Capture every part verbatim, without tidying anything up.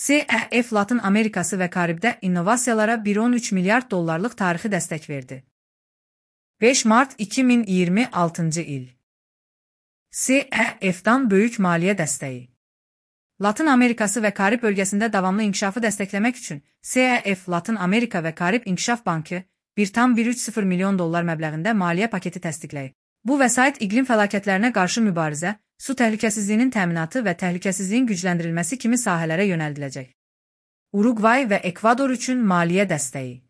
C E F Latın Amerikası və Karibdə innovasiyalara bir nöqtə on üç milyard dollarlıq tarixi dəstək verdi. beş mart iki min iyirmi altıncı il. C E F'dan böyük maliyyə dəstəyi. Latın Amerikası və Karib bölgəsində davamlı inkişafı dəstəkləmək üçün C E F Latın Amerika və Karib İnkişaf Bankı bir nöqtə bir üç sıfır milyon dollar məbləğində maliyyə paketi təsdiqləyib. Bu vəsait iqlim fəlakətlərinə qarşı mübarizə, su təhlükəsizliyinin təminatı və təhlükəsizliyin gücləndirilməsi kimi sahələrə yönəldiləcək. Uruqvay və Ekvador üçün maliyyə dəstəyi.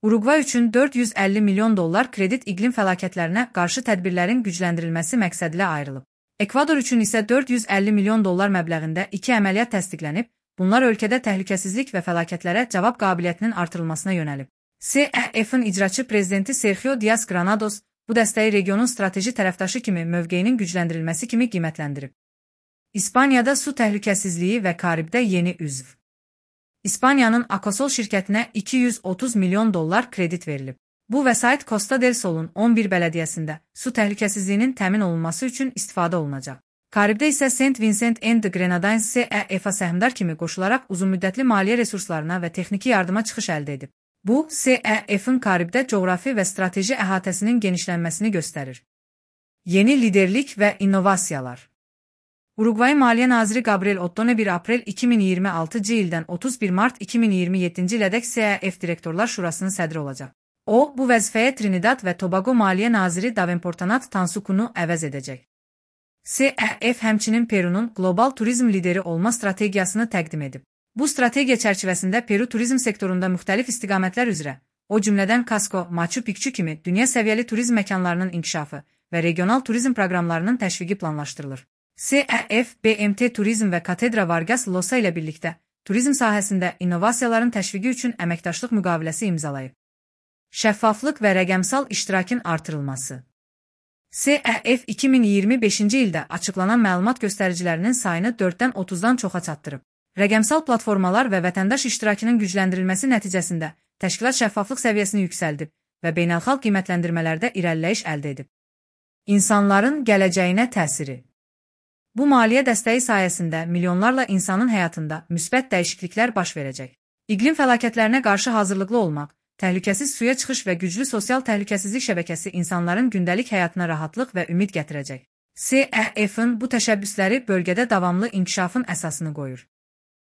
Uruqvay üçün dörd yüz əlli milyon dollar kredit iqlim fəlakətlərinə qarşı tədbirlərin gücləndirilməsi məqsədilə ayrılıb. Ekvador üçün isə dörd yüz əlli milyon dollar məbləğində iki əməliyyat təsdiqlənib, bunlar ölkədə təhlükəsizlik və fəlakətlərə cavab qabiliyyətinin artırılmasına yönəlib. C E F'in icraçı prezidenti Sergio Dias Granados bu dəstəyi regionun strateji tərəfdaşı kimi mövqeyinin gücləndirilməsi kimi qiymətləndirib. İspaniyada su təhlükəsizliyi və Karibdə yeni üzv. İspaniyanın Akosol şirkətinə iki yüz otuz milyon dollar kredit verilib. Bu vəsait Costa del Sol'un on bir bələdiyyəsində su təhlükəsizliyinin təmin olunması üçün istifadə olunacaq. Karibdə isə Saint Vincent and the Grenadines C E F'a səhmdar kimi qoşularaq uzunmüddətli maliyyə resurslarına və texniki yardıma çıxış əldə edib. Bu, C E F'in Karibdə coğrafi və strateji əhatəsinin genişlənməsini göstərir. Yeni liderlik və innovasiyalar. Uruqvay Maliyyə Naziri Gabriel Ottone bir aprel iki min iyirmi altıncı ildən otuz bir mart iki min iyirmi yeddinci ilədək C E F Direktorlar Şurasının sədri olacaq. O, bu vəzifəyə Trinidad və Tobago Maliyyə Naziri Davenportanat Tansukunu əvəz edəcək. C E F həmçinin Perunun qlobal turizm lideri olma strategiyasını təqdim edib. Bu strategiya çərçivəsində Peru turizm sektorunda müxtəlif istiqamətlər üzrə, o cümlədən Cusco, Machu Picchu kimi dünya səviyyəli turizm məkanlarının inkişafı və regional turizm proqramlarının təşviqi planlaşdırılır. C E F, B M T Turizm və Katedra Vargas Llosa ilə birlikdə turizm sahəsində innovasiyaların təşviqi üçün əməkdaşlıq müqaviləsi imzalayıb. Şəffaflıq və rəqəmsal iştirakın artırılması. C E F iki min iyirmi beşinci ildə açıqlanan məlumat göstəricilərinin sayını dörddən otuzdan çoxa çatdırıb. Rəqəmsal platformalar və vətəndaş iştirakının gücləndirilməsi nəticəsində təşkilat şəffaflıq səviyyəsini yüksəldib və beynəlxalq qiymətləndirmələrdə irəliləyiş əldə edib. İnsanların gələcəyinə təsiri. Bu maliyyə dəstəyi sayəsində milyonlarla insanın həyatında müsbət dəyişikliklər baş verəcək. İqlim fəlakətlərinə qarşı hazırlıqlı olmaq, təhlükəsiz suya çıxış və güclü sosial təhlükəsizlik şəbəkəsi insanların gündəlik həyatına rahatlıq və ümid gətirəcək. C E F'in bu təşəbbüsləri bölgədə davamlı inkişafın əsasını qoyur.